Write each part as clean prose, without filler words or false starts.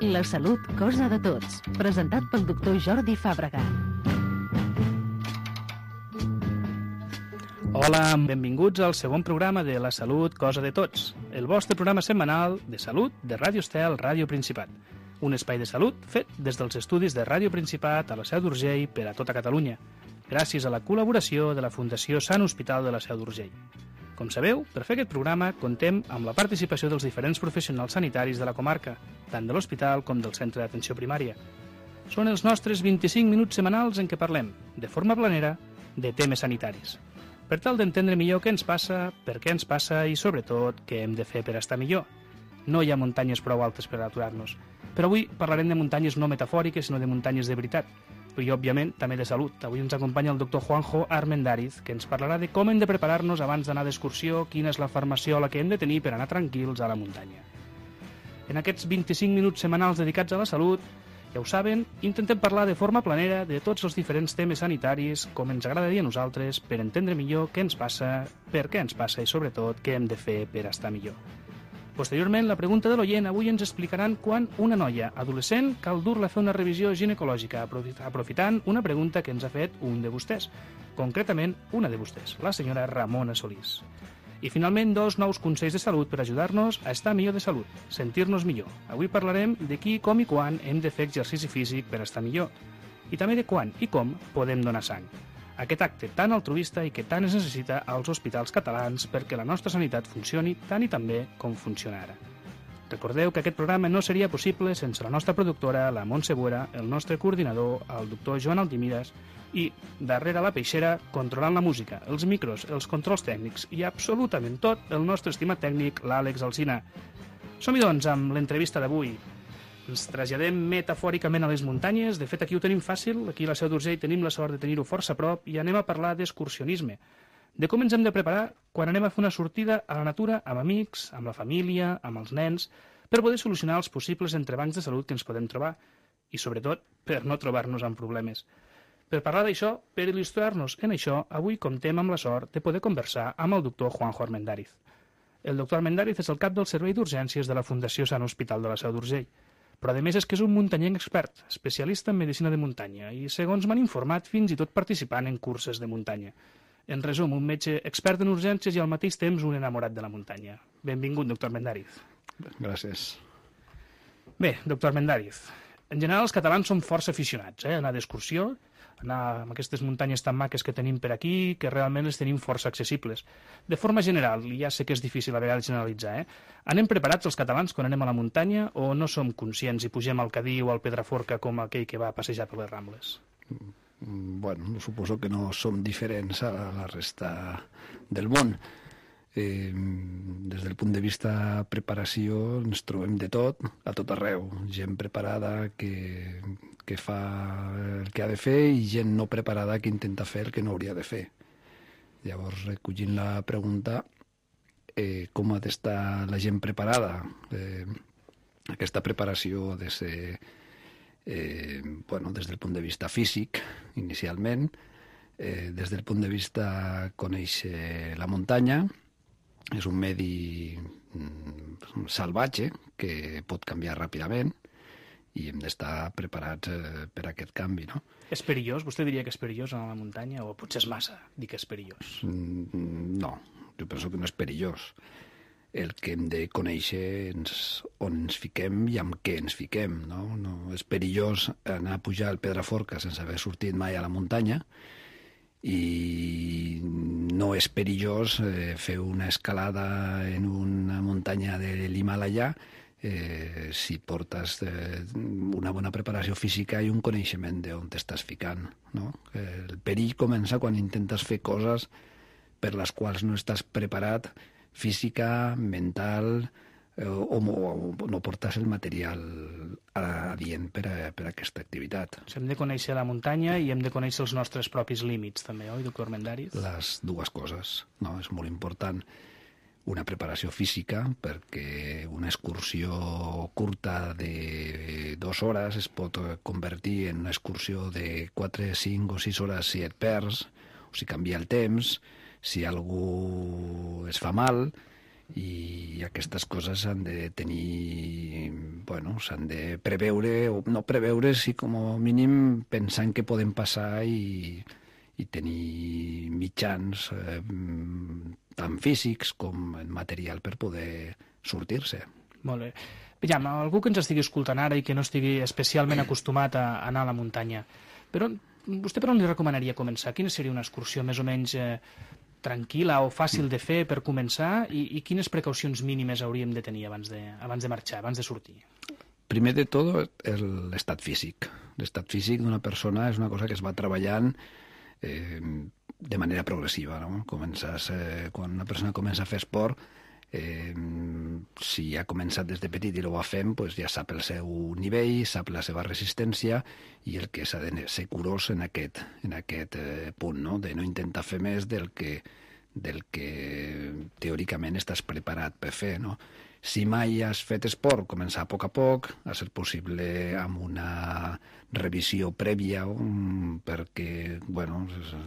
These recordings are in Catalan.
La salut, cosa de tots. Presentat pel doctor Jordi Fàbrega. Hola, benvinguts al segon programa de La salut, cosa de tots. El vostre programa setmanal de salut de Ràdio Estel, Ràdio Principat. Un espai de salut fet des dels estudis de Ràdio Principat a la Seu d'Urgell per a tota Catalunya, gràcies a la col·laboració de la Fundació Sant Hospital de la Seu d'Urgell. Com sabeu, per fer aquest programa contem amb la participació dels diferents professionals sanitaris de la comarca, tant de l'hospital com del centre d'atenció primària. Són els nostres 25 minuts setmanals en què parlem, de forma planera, de temes sanitaris. Per tal d'entendre millor què ens passa, per què ens passa i, sobretot, què hem de fer per estar millor. No hi ha muntanyes prou altes per aturar-nos. Però avui parlarem de muntanyes no metafòriques, sinó de muntanyes de veritat. I, òbviament, també de salut. Avui ens acompanya el doctor Juanjo Armendáriz, que ens parlarà de com hem de preparar-nos abans d'anar d'excursió, quina és la farmaciola que hem de tenir per anar tranquils a la muntanya. En aquests 25 minuts setmanals dedicats a la salut, ja ho saben, intentem parlar de forma planera de tots els diferents temes sanitaris, com ens agrada dir a nosaltres, per entendre millor què ens passa, per què ens passa i, sobretot, què hem de fer per estar millor. Posteriorment, la pregunta de l'oient. Avui ens explicaran quan una noia adolescent cal dur-la a fer una revisió ginecològica, aprofitant una pregunta que ens ha fet un de vostès, concretament una de vostès, la senyora Ramona Solís. I finalment, 2 nous consells de salut per ajudar-nos a estar millor de salut, sentir-nos millor. Avui parlarem de qui, com i quan hem de fer exercici físic per estar millor, i també de quan i com podem donar sang. Aquest acte tan altruista i que tant es necessita als hospitals catalans perquè la nostra sanitat funcioni tant i tan bé com funciona ara. Recordeu que aquest programa no seria possible sense la nostra productora, la Montse Buera, el nostre coordinador, el doctor Joan Altimiras, i, darrere la peixera, controlant la música, els micros, els controls tècnics i absolutament tot, el nostre estimat tècnic, l'Àlex Alsina. Som-hi, doncs, amb l'entrevista d'avui. Ens traslladem metafòricament a les muntanyes. De fet, aquí ho tenim fàcil. Aquí a la Seu d'Urgell tenim la sort de tenir-ho força a prop i anem a parlar d'excursionisme. De com ens hem de preparar quan anem a fer una sortida a la natura amb amics, amb la família, amb els nens, per poder solucionar els possibles entrebancs de salut que ens podem trobar i, sobretot, per no trobar-nos amb problemes. Per parlar d'això, per il·lustrar-nos en això, avui comptem amb la sort de poder conversar amb el doctor Juanjo Armendáriz. El doctor Armendáriz és el cap del Servei d'Urgències de la Fundació Sant Hospital de la Seu d'Urgell. Però a més és que és un muntanyenc expert, especialista en medicina de muntanya i, segons m'han informat, fins i tot participant en curses de muntanya. En resum, un metge expert en urgències i al mateix temps un enamorat de la muntanya. Benvingut, doctor Armendáriz. Gràcies. Bé, doctor Armendáriz, en general els catalans som força aficionats a anar d'excursió, anar a aquestes muntanyes tan maques que tenim per aquí, que realment les tenim força accessibles. De forma general, i ja sé que és difícil a vegades generalitzar, anem preparats els catalans quan anem a la muntanya o no som conscients i pugem al Cadí o al Pedraforca com aquell que va a passejar per les Rambles? Bueno, suposo que no som diferents a la resta del món. Des del punt de vista preparació ens trobem de tot, a tot arreu. Gent preparada que fa el que ha de fer i gent no preparada que intenta fer el que no hauria de fer. Llavors, recollint la pregunta, com ha d'estar la gent preparada? Aquesta preparació ha de ser des del punt de vista físic, inicialment, des del punt de vista conèixer la muntanya. És un medi salvatge que pot canviar ràpidament i hem d'estar preparats per a aquest canvi, no? És perillós? Vostè diria que és perillós anar a la muntanya o potser és massa dir que és perillós? No, jo penso que no és perillós. El que hem de conèixer on ens fiquem i amb què ens fiquem, no? No és perillós anar a pujar al Pedraforca sense haver sortit mai a la muntanya i no és perillós fer una escalada en una muntanya de l'Himàlaia si portes una bona preparació física i un coneixement d'on t'estàs ficant, no? El perill comença quan intentes fer coses per les quals no estàs preparat física, mental, o no portes el material adient per a aquesta activitat. Hem de conèixer la muntanya i hem de conèixer els nostres propis límits, també, oi, doctor Armendáriz? Les dues coses, no? És molt important una preparació física perquè una excursió curta de 2 hores es pot convertir en una excursió de 4, 5 o 6 hores si et perds, o si canvia el temps, si algú es fa mal, i aquestes coses han de tenir s'han de preveure, o no preveure, sí com a mínim pensar en què poden passar i tenir mitjans tant físics com material per poder sortir-se. Molt bé. Aviam, algú que ens estigui escoltant ara i que no estigui especialment acostumat a anar a la muntanya, vostè per on li recomanaria començar? Quina seria una excursió més o menys tranquil·la o fàcil de fer per començar i quines precaucions mínimes hauríem de tenir abans de marxar, abans de sortir? Primer de tot, l'estat físic. L'estat físic d'una persona és una cosa que es va treballant de manera progressiva, no? Quan una persona comença a fer esport, si ha començat des de petit i ho va fent, doncs ja sap el seu nivell, sap la seva resistència, i el que s'ha de ser curós en aquest punt, no? De no intentar fer més del que teòricament estàs preparat per fer, no? Si mai has fet esport, començar a poc, a ser possible amb una revisió prèvia, perquè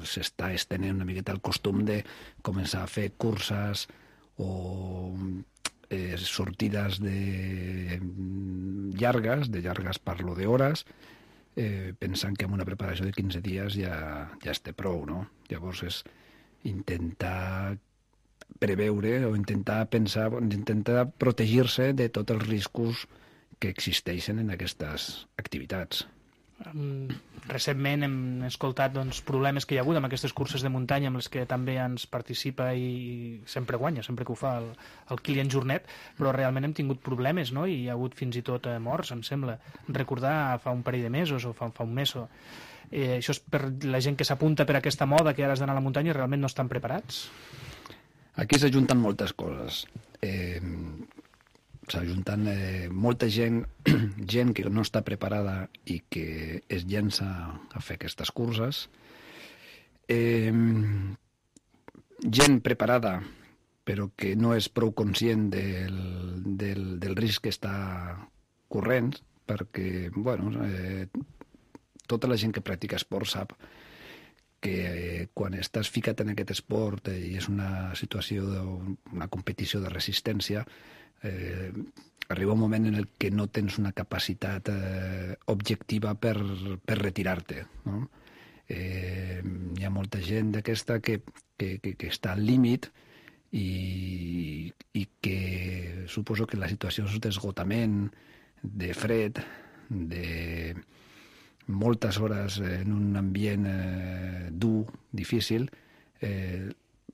s'està estenent una miqueta el costum de començar a fer curses o sortides llargues parlo d'hores, pensant que amb una preparació de 15 dies ja es té prou, no? Llavors és intentar preveure o intentar pensar, intentar protegir-se de tots els riscos que existeixen en aquestes activitats. Recentment hem escoltat problemes que hi ha hagut amb aquestes curses de muntanya amb les que també ens participa i sempre guanya, sempre que ho fa el Kilian Jornet, però realment hem tingut problemes, no? I hi ha hagut fins i tot morts, em sembla. Recordar fa un parell de mesos o fa un mes. Això és per la gent que s'apunta per aquesta moda que ara has d'anar a la muntanya i realment no estan preparats? Aquí s'ajunten moltes coses. S'ajunten molta gent que no està preparada i que es llença a fer aquestes curses. Gent preparada però que no és prou conscient del risc que està corrent, perquè tota la gent que practica esport sap que quan estàs ficat en aquest esport i és una situació d'una competició de resistència, arriba un moment en el que no tens una capacitat objectiva per retirar-te, no? Hi ha molta gent d'aquesta que està al límit i que suposo que la situació d'esgotament, de fred, de moltes hores en un ambient dur, difícil,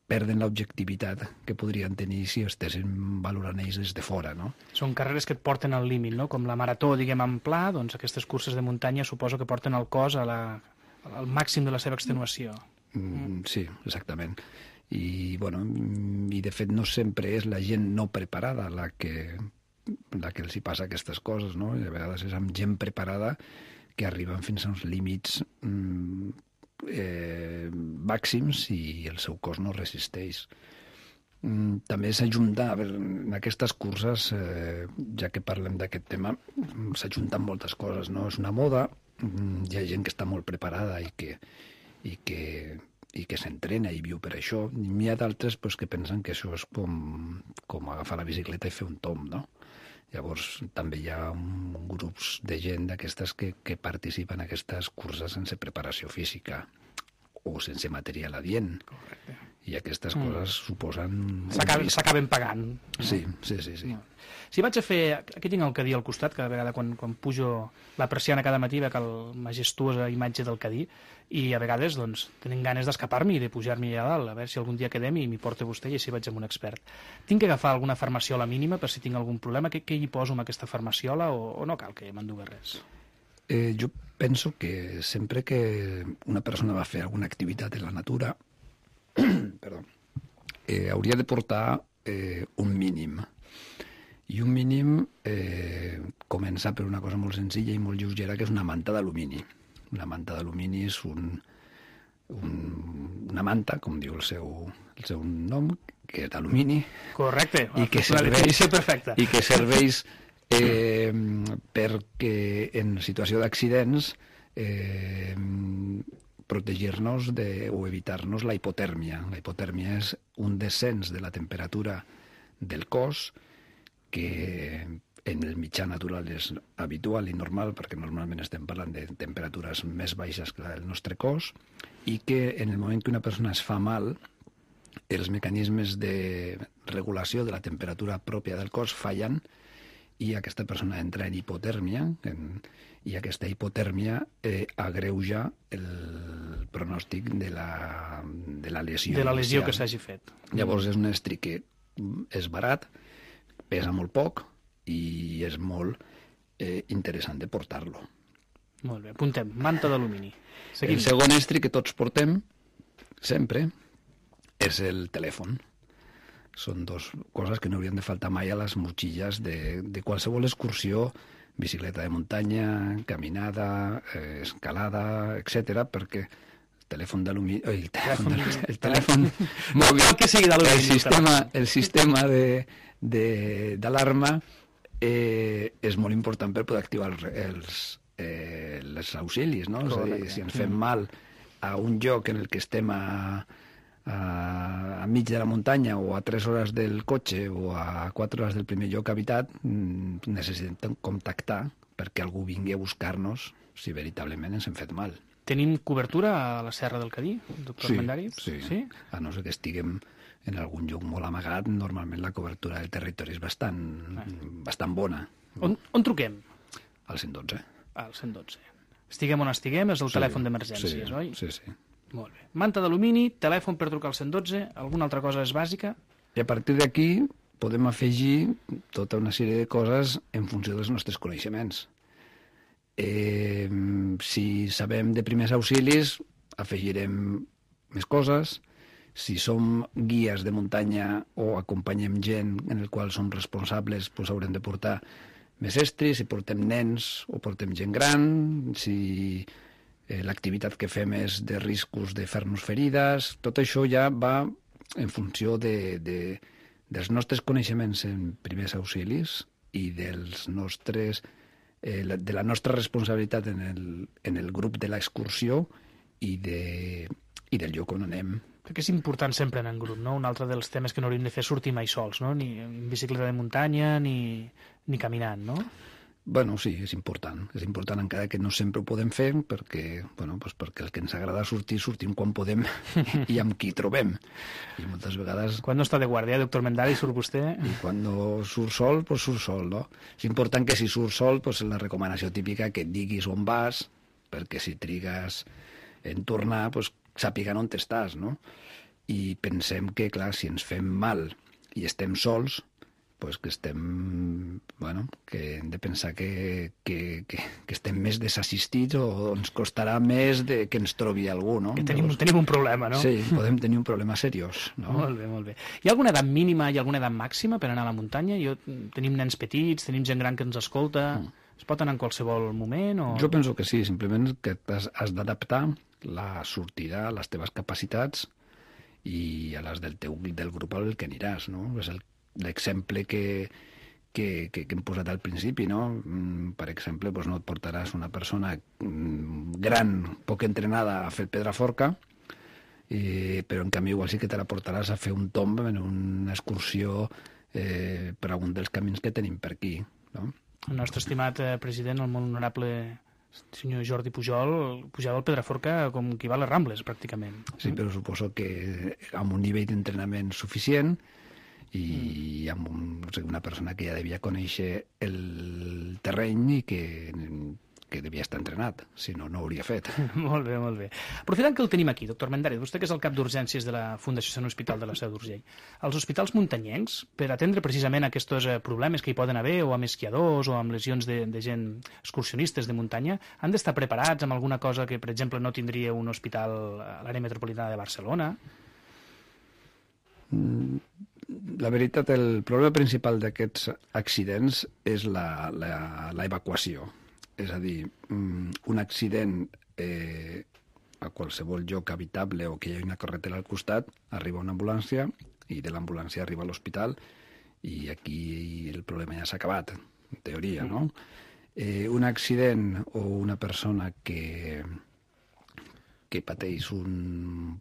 perden l'objectivitat que podrien tenir si estessin valorant ells des de fora, no? Són carreres que et porten al límit, no? Com la marató, diguem, en pla, doncs aquestes curses de muntanya suposo que porten el cos al màxim de la seva extenuació. Sí, exactament. I de fet no sempre és la gent no preparada la que els hi passa aquestes coses, no? I a vegades és amb gent preparada que arriben fins a uns límits màxims i el seu cos no resisteix. També s'ajunta, en aquestes curses, ja que parlem d'aquest tema, s'ajunten moltes coses, no? És una moda, hi ha gent que està molt preparada i que s'entrena i viu per això. N'hi ha d'altres que pensen que això és com agafar la bicicleta i fer un tomb, no? Llavors també hi ha grups de gent d'aquestes que participen en aquestes curses sense preparació física o sense material adient. Correcte. I aquestes coses suposen... S'acaben pagant. No? Sí. Si vaig a fer... Aquí tinc el cadí al costat, cada vegada quan pujo la persiana cada matí veig la majestuosa imatge del cadí i a vegades tenen ganes d'escapar-m'hi i de pujar-m'hi allà dalt, a veure si algun dia quedem i m'hi porta vostè i així vaig amb un expert. Tinc que agafar alguna farmaciola mínima per si tinc algun problema? Què hi poso amb aquesta farmaciola o no cal que m'endugui res? Jo penso que sempre que una persona va fer alguna activitat en la natura hauria de portar un mínim. I un mínim comença per una cosa molt senzilla i molt lleugera, que és una manta d'alumini. Una manta d'alumini és una manta, com diu el seu nom, que és d'alumini. Correcte, i que serveix perquè en situació d'accidents protegir-nos o evitar-nos la hipotèrmia. La hipotèrmia és un descens de la temperatura del cos que en el mitjà natural és habitual i normal, perquè normalment estem parlant de temperatures més baixes que la del nostre cos, i que en el moment que una persona es fa mal, els mecanismes de regulació de la temperatura pròpia del cos fallen i aquesta persona entra en hipotèrmia, i aquesta hipotèrmia agreuja el pronòstic de la lesió. De la lesió que s'hagi fet. Llavors és un estri que és barat, pesa molt poc i és molt interessant de portar-lo. Molt bé, apuntem, manta d'alumini. El segon estri que tots portem, sempre, és el telèfon. Són dues coses que no haurien de faltar mai a les motxilles de qualsevol excursió, bicicleta de muntanya, caminada, escalada, etc, perquè el telèfon d'alumini... El telèfon mòbil... que sigui d'alumini. El sistema d'alarma és molt important per poder activar els auxilis, no? És a dir, si ens fem mal a un lloc en el que estem a mig de la muntanya o a 3 hores del cotxe o a 4 hores del primer lloc habitat, necessitem contactar perquè algú vingui a buscar-nos si veritablement ens hem fet mal. Tenim cobertura a la Serra del Cadí, doctor Mendari? Sí. A no ser que estiguem en algun lloc molt amagat, normalment la cobertura del territori és bastant bona. On truquem? Al 112. Al 112. Estiguem on estiguem, és el telèfon d'emergències, oi? Sí. Molt bé. Manta d'alumini, telèfon per trucar al 112, alguna altra cosa és bàsica? I a partir d'aquí podem afegir tota una sèrie de coses en funció dels nostres coneixements. Si sabem de primers auxilis, afegirem més coses. Si som guies de muntanya o acompanyem gent en el qual som responsables, doncs haurem de portar més estris, si portem nens o portem gent gran, si l'activitat que fem és de riscos de fer-nos ferides, tot això ja va en funció dels nostres coneixements en primers auxilis i de la nostra responsabilitat en el grup de l'excursió i del lloc on anem. Crec que és important sempre anar en grup, no? Un altre dels temes que no hauríem de fer és sortir mai sols, no? Ni en bicicleta de muntanya ni caminant, no? Bueno, sí, és important. És important encara que no sempre ho podem fer perquè el que ens agrada sortim quan podem i amb qui trobem. I moltes vegades... Quan no està de guàrdia, doctor Mendari, surt vostè? I quan no surt sol, doncs surt sol, no? És important que si surt sol, doncs la recomanació típica que et diguis on vas, perquè si trigues en tornar, doncs sàpiguen on estàs, no? I pensem que, clar, si ens fem mal i estem sols, doncs que que hem de pensar que estem més desassistits o ens costarà més que ens trobi algú, no? Que tenim un problema, no? Sí, podem tenir un problema seriós, no? Molt bé. Hi ha alguna edat mínima i alguna edat màxima per anar a la muntanya? Tenim nens petits, tenim gent gran que ens escolta... Es pot anar en qualsevol moment? O... Jo penso que sí, simplement que has d'adaptar la sortida a les teves capacitats i a les del grup al que aniràs, no? És l'exemple que hem posat al principi, no? Per exemple, no et portaràs una persona gran, poc entrenada a fer Pedraforca, però en canvi igual sí que te la portaràs a fer un tomb en una excursió per algun dels camins que tenim per aquí, no? El nostre estimat president, el molt honorable senyor Jordi Pujol, pujava al Pedraforca com qui va a les Rambles, pràcticament. Sí, però suposo que amb un nivell d'entrenament suficient i amb una persona que ja devia conèixer el terreny i que devia estar entrenat, si no, no ho hauria fet. Molt bé. Aprofitant que el tenim aquí, doctor Mendari, vostè que és el cap d'urgències de la Fundació Sant Hospital de la Seu d'Urgell, els hospitals muntanyencs, per atendre precisament aquests problemes que hi poden haver, o amb esquiadors, o amb lesions de gent excursionistes de muntanya, han d'estar preparats amb alguna cosa que, per exemple, no tindria un hospital a l'àrea metropolitana de Barcelona? La veritat, el problema principal d'aquests accidents és l'evacuació. És a dir, un accident a qualsevol lloc habitable o que hi hagi una carretera al costat, arriba una ambulància i de l'ambulància arriba a l'hospital i aquí el problema ja s'ha acabat, en teoria, no? Un accident o una persona que pateix un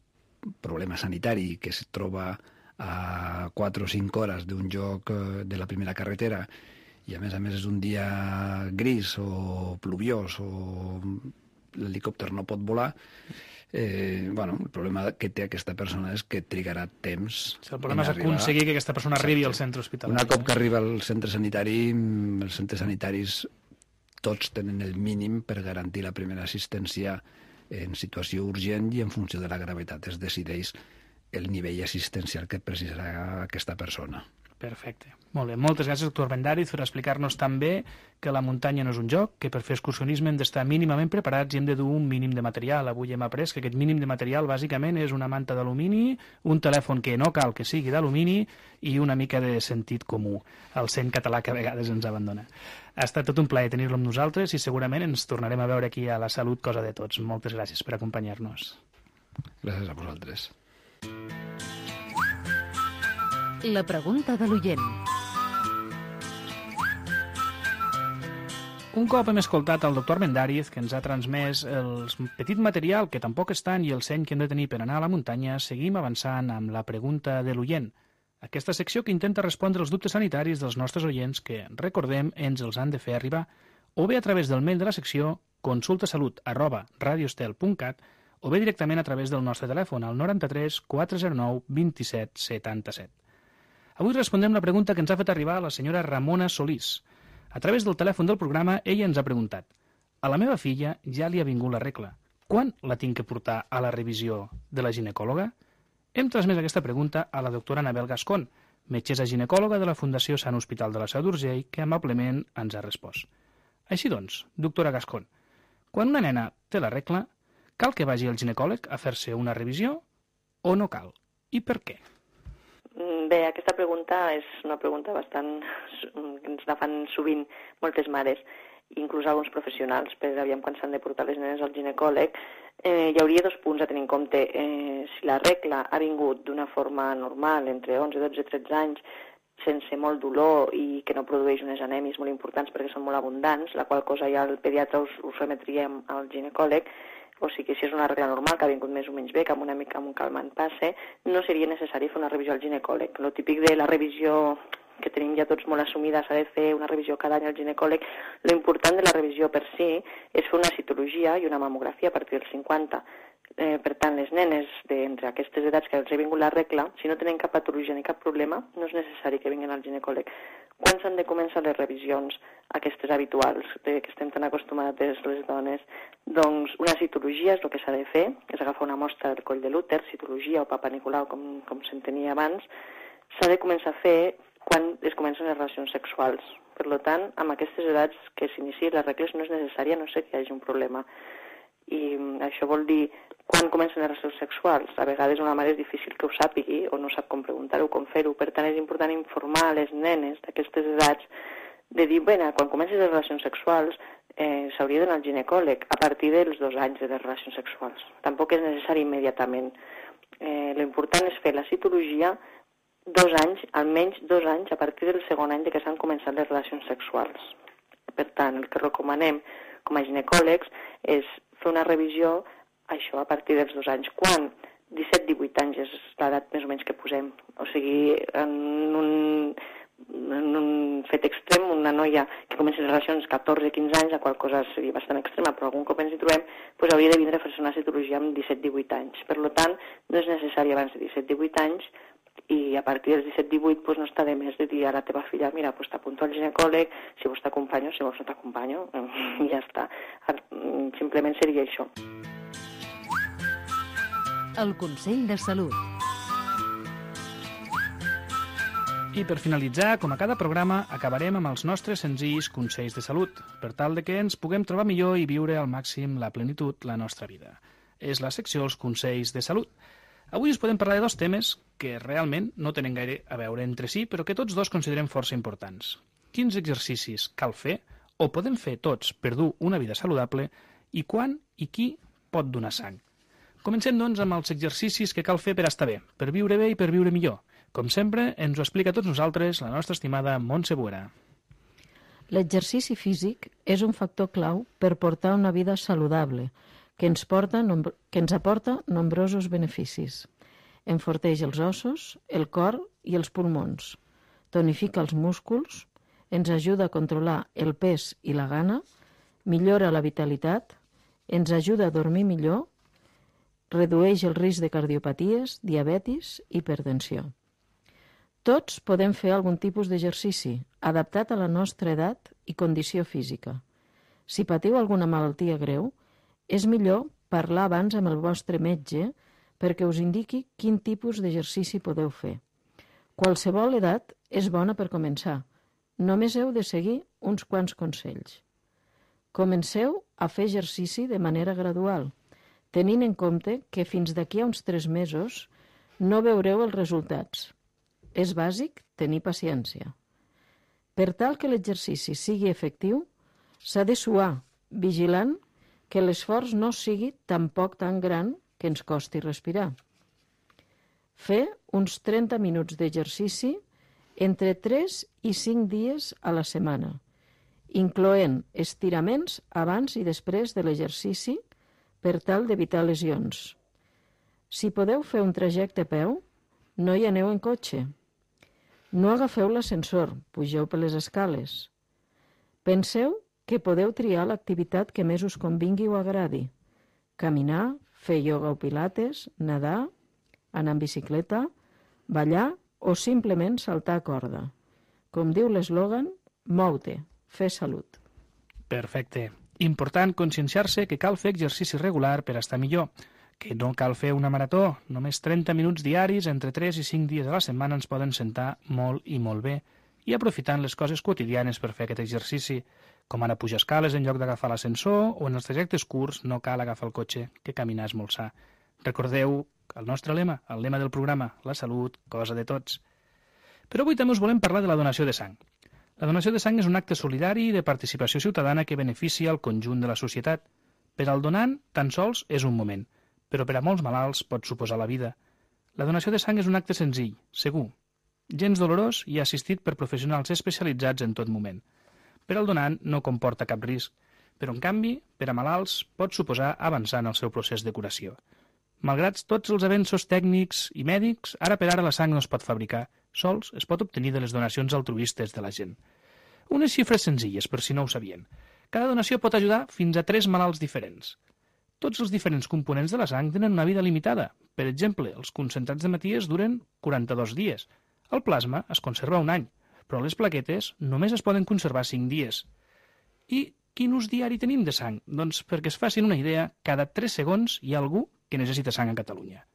problema sanitari que es troba a 4 o 5 hores d'un lloc de la primera carretera i a més és un dia gris o pluviós o l'helicòpter no pot volar, el problema que té aquesta persona és que trigarà temps. El problema és aconseguir que aquesta persona arribi al centre hospitalari. Una cop que arriba al centre sanitari, els centres sanitaris tots tenen el mínim per garantir la primera assistència en situació urgent i en funció de la gravetat es decideix el nivell assistencial que precisarà aquesta persona. Perfecte. Molt bé. Moltes gràcies, doctor Armendariz, per explicar-nos també que la muntanya no és un joc, que per fer excursionisme hem d'estar mínimament preparats i hem de dur un mínim de material. Avui hem après que aquest mínim de material bàsicament és una manta d'alumini, un telèfon que no cal que sigui d'alumini i una mica de sentit comú, el seny català que a vegades ens abandona. Ha estat tot un plaer tenir-lo amb nosaltres i segurament ens tornarem a veure aquí a La Salut, cosa de tots. Moltes gràcies per acompanyar-nos. Gràcies a vosaltres. La pregunta de l'oient. Un cop hem escoltat el doctor Armendariz, que ens ha transmès el petit material, que tampoc és tant, i el seny que hem de tenir per anar a la muntanya, seguim avançant amb la pregunta de l'oient. Aquesta secció que intenta respondre els dubtes sanitaris dels nostres oients que, recordem, ens els han de fer arribar, o bé a través del mail de la secció consultasalut@radiostel.cat o bé directament a través del nostre telèfon al 93 409 27 77. Avui respondrem la pregunta que ens ha fet arribar la senyora Ramona Solís. A través del telèfon del programa, ella ens ha preguntat: a la meva filla ja li ha vingut la regla. Quan la tinc que portar a la revisió de la ginecòloga? Hem transmès aquesta pregunta a la doctora Anabel Gascón, metgessa ginecòloga de la Fundació Sant Hospital de la Seu d'Urgell, que amablement ens ha respost. Així doncs, doctora Gascón, quan una nena té la regla, cal que vagi al ginecòleg a fer-se una revisió o no cal? I per què? Bé, aquesta pregunta és una pregunta bastant que ens la fan sovint moltes mares, inclús alguns professionals, per aviam quan s'han de portar les nenes al ginecòleg. Hi hauria dos punts a tenir en compte. Si la regla ha vingut d'una forma normal, entre 11, 12, 13 anys, sense molt dolor i que no produeix unes anèmies molt importants perquè són molt abundants, la qual cosa ja el pediatre us remetria al ginecòleg, o sigui, si és una regla normal, que ha vingut més o menys bé, que amb un calmant passe, no seria necessari fer una revisió al ginecòleg. Lo típic de la revisió que tenim ja tots molt assumida, s'ha de fer una revisió cada any al ginecòleg. Lo important de la revisió per si és fer una citologia i una mamografia a partir dels 50. Per tant, les nenes d'entre aquestes edats que els ha vingut la regla, si no tenen cap patologia ni cap problema, no és necessari que vinguin al ginecòleg. Quan s'han de començar les revisions, aquestes habituals, que estem tan acostumades les dones? Doncs una citologia és el que s'ha de fer, és agafar una mostra del coll de l'úter, citologia o Papa Nicolau, com s'entenia abans. S'ha de començar a fer quan es comencen les relacions sexuals. Per tant, amb aquestes edats que s'iniciïn les regles no és necessària, no sé que hi hagi un problema. I això vol dir, quan comencen les relacions sexuals? A vegades una mare és difícil que ho sàpigui o no sap com preguntar-ho, com fer-ho. Per tant, és important informar a les nenes d'aquestes edats de dir, bé, quan comences les relacions sexuals s'hauria d'anar al ginecòleg a partir dels 2 anys de les relacions sexuals. Tampoc és necessari immediatament. L'important és fer la citologia 2 anys, almenys 2 anys, a partir del segon any de que s'han començat les relacions sexuals. Per tant, el que recomanem com a ginecòlegs és fer una revisió, això, a partir dels 2 anys. Quan? 17-18 anys és l'edat més o menys que posem. O sigui, en un fet extrem, una noia que comença les relacions 14-15 anys, la qual cosa seria bastant extrema, però algun cop ens hi trobem, doncs hauria de vindre a fer-se una citologia amb 17-18 anys. Per tant, no és necessari abans de 17-18 anys, i a partir dels 17-18 doncs no està de més de dir a la teva filla, mira, doncs t'apunto al ginecòleg, si vols t'acompanyo, si vols no t'acompanyo, i ja està. Simplement seria això. El Consell de Salut. I per finalitzar, com a cada programa, acabarem amb els nostres senzills consells de salut, per tal de que ens puguem trobar millor i viure al màxim la plenitud la nostra vida. És la secció Els consells de salut. Avui us podem parlar de 2 temes que realment no tenen gaire a veure entre si, però que tots 2 considerem força importants. Quins exercicis cal fer o podem fer tots per dur una vida saludable i quan i qui pot donar sang. Comencem, doncs, amb els exercicis que cal fer per estar bé, per viure bé i per viure millor. Com sempre, ens ho explica a tots nosaltres la nostra estimada Montse Buera. L'exercici físic és un factor clau per portar una vida saludable, que ens aporta nombrosos beneficis. Enforteix els ossos, el cor i els pulmons, tonifica els músculs, ens ajuda a controlar el pes i la gana, millora la vitalitat, ens ajuda a dormir millor, redueix el risc de cardiopaties, diabetis i hipertensió. Tots podem fer algun tipus d'exercici adaptat a la nostra edat i condició física. Si patiu alguna malaltia greu, és millor parlar abans amb el vostre metge perquè us indiqui quin tipus d'exercici podeu fer. Qualsevol edat és bona per començar. Només heu de seguir uns quants consells. Comenceu a fer exercici de manera gradual, tenint en compte que fins d'aquí a uns 3 mesos no veureu els resultats. És bàsic tenir paciència. Per tal que l'exercici sigui efectiu, s'ha de suar, vigilant que l'esforç no sigui tampoc tan gran que ens costi respirar. Fer uns 30 minuts d'exercici entre 3 i 5 dies a la setmana, incloent estiraments abans i després de l'exercici per tal d'evitar lesions. Si podeu fer un trajecte a peu, no hi aneu en cotxe. No agafeu l'ascensor, pugeu per les escales. Penseu que podeu triar l'activitat que més us convingui o agradi. Caminar, fer ioga o pilates, nedar, anar en bicicleta, ballar o simplement saltar a corda. Com diu l'eslògan, mou-te, fer salut. Perfecte. Important conscienciar-se que cal fer exercici regular per estar millor, que no cal fer una marató. Només 30 minuts diaris entre 3 i 5 dies a la setmana ens poden sentar molt i molt bé, i aprofitant les coses quotidianes per fer aquest exercici, com ara pujar escales en lloc d'agafar l'ascensor, o en els trajectes curts no cal agafar el cotxe, que caminar és molt sa. Recordeu el nostre lema, el lema del programa, la salut, cosa de tots. Però avui també us volem parlar de la donació de sang. La donació de sang és un acte solidari de participació ciutadana que beneficia el conjunt de la societat. Per al donant, tan sols és un moment, però per a molts malalts pot suposar la vida. La donació de sang és un acte senzill, segur, gens dolorós i assistit per professionals especialitzats en tot moment. Per al donant no comporta cap risc, però en canvi, per a malalts, pot suposar avançar en el seu procés de curació. Malgrat tots els avenços tècnics i mèdics, ara per ara la sang no es pot fabricar, sols es pot obtenir de les donacions altruistes de la gent. Unes xifres senzilles, per si no ho sabien. Cada donació pot ajudar fins a 3 malalts diferents. Tots els diferents components de la sang tenen una vida limitada. Per exemple, els concentrats de maties duren 42 dies. El plasma es conserva un any, però les plaquetes només es poden conservar 5 dies. I quin ús diari tenim de sang? Doncs perquè es facin una idea, cada 3 segons hi ha algú que necessita sang a Catalunya.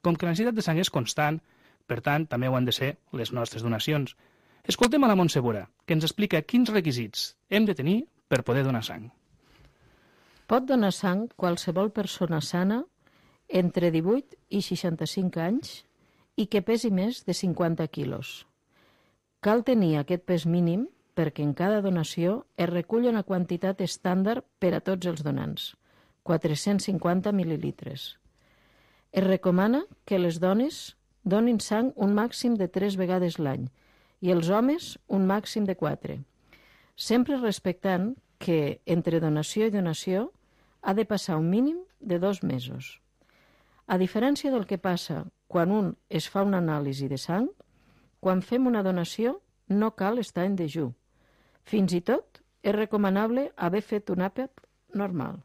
Com que la necessitat de sang és constant, per tant, també ho han de ser les nostres donacions. Escoltem a la Montse Bora, que ens explica quins requisits hem de tenir per poder donar sang. Pot donar sang qualsevol persona sana entre 18 i 65 anys i que pesi més de 50 quilos. Cal tenir aquest pes mínim perquè en cada donació es recull una quantitat estàndard per a tots els donants, 450 mil·lilitres. Es recomana que les dones donin sang un màxim de 3 vegades l'any i els homes un màxim de 4, sempre respectant que entre donació i donació ha de passar un mínim de 2 mesos. A diferència del que passa quan un es fa una anàlisi de sang, quan fem una donació no cal estar en dejú. Fins i tot és recomanable haver fet un àpat normal.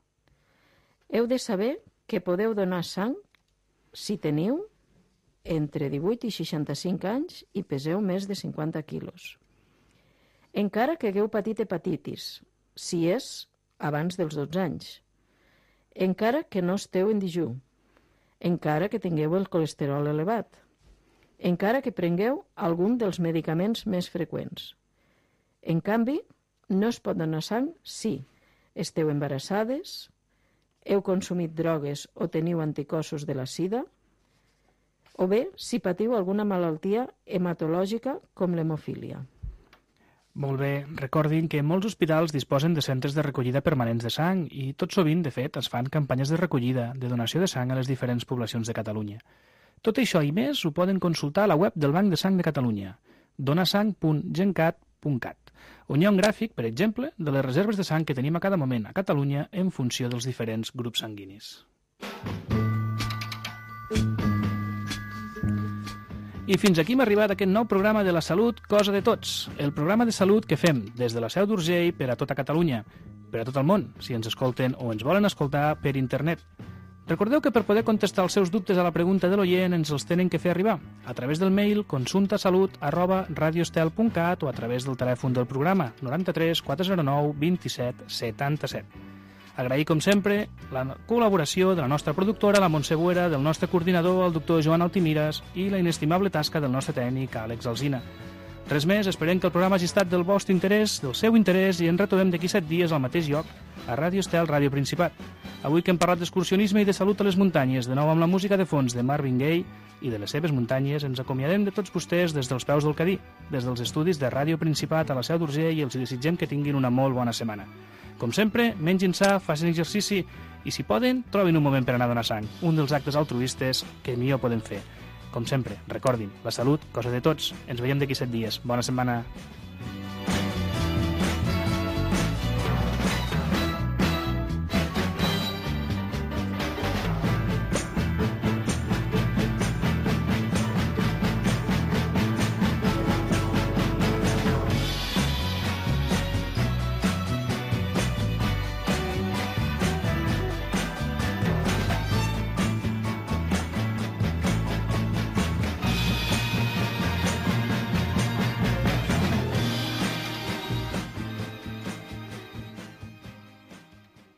Heu de saber que podeu donar sang si teniu entre 18 i 65 anys i peseu més de 50 quilos. Encara que hagueu patit hepatitis, si és abans dels 12 anys. Encara que no esteu en dejú. Encara que tingueu el colesterol elevat. Encara que prengueu algun dels medicaments més freqüents. En canvi, no es pot donar sang si esteu embarassades, heu consumit drogues o teniu anticossos de la sida, o bé si patiu alguna malaltia hematològica com l'hemofília. Molt bé, recordin que molts hospitals disposen de centres de recollida permanents de sang i tot sovint, de fet, es fan campanyes de recollida, de donació de sang a les diferents poblacions de Catalunya. Tot això i més ho poden consultar a la web del Banc de Sang de Catalunya, donasang.gencat.cat, on hi ha un gràfic, per exemple, de les reserves de sang que tenim a cada moment a Catalunya en funció dels diferents grups sanguinis. I fins aquí hem arribat a aquest nou programa de la salut, cosa de tots. El programa de salut que fem des de la Seu d'Urgell per a tota Catalunya, per a tot el món, si ens escolten o ens volen escoltar per internet. Recordeu que per poder contestar els seus dubtes a la pregunta de l'oient ens els tenen que fer arribar a través del mail consultasalut@radiostel.cat o a través del telèfon del programa 93 409 27 77. Agrair, com sempre, la col·laboració de la nostra productora, la Montse Buera, del nostre coordinador, el doctor Joan Altimires, i la inestimable tasca del nostre tècnic, Àlex Alsina. Res més, esperem que el programa hagi estat del vostre interès, del seu interès, i ens retrobem d'aquí 7 dies al mateix lloc, a Ràdio Estel, Ràdio Principat. Avui que hem parlat d'excursionisme i de salut a les muntanyes, de nou amb la música de fons de Marvin Gaye i de les seves muntanyes, ens acomiadem de tots vostès des dels peus del Cadí, des dels estudis de Ràdio Principat a la Seu d'Urgell, i els desitgem que tinguin una molt bona setmana. Com sempre, mengin sa, facin exercici i, si poden, trobin un moment per anar a donar sang, un dels actes altruistes que millor podem fer. Com sempre, recordin, la salut, cosa de tots. Ens veiem d'aquí 7 dies. Bona setmana.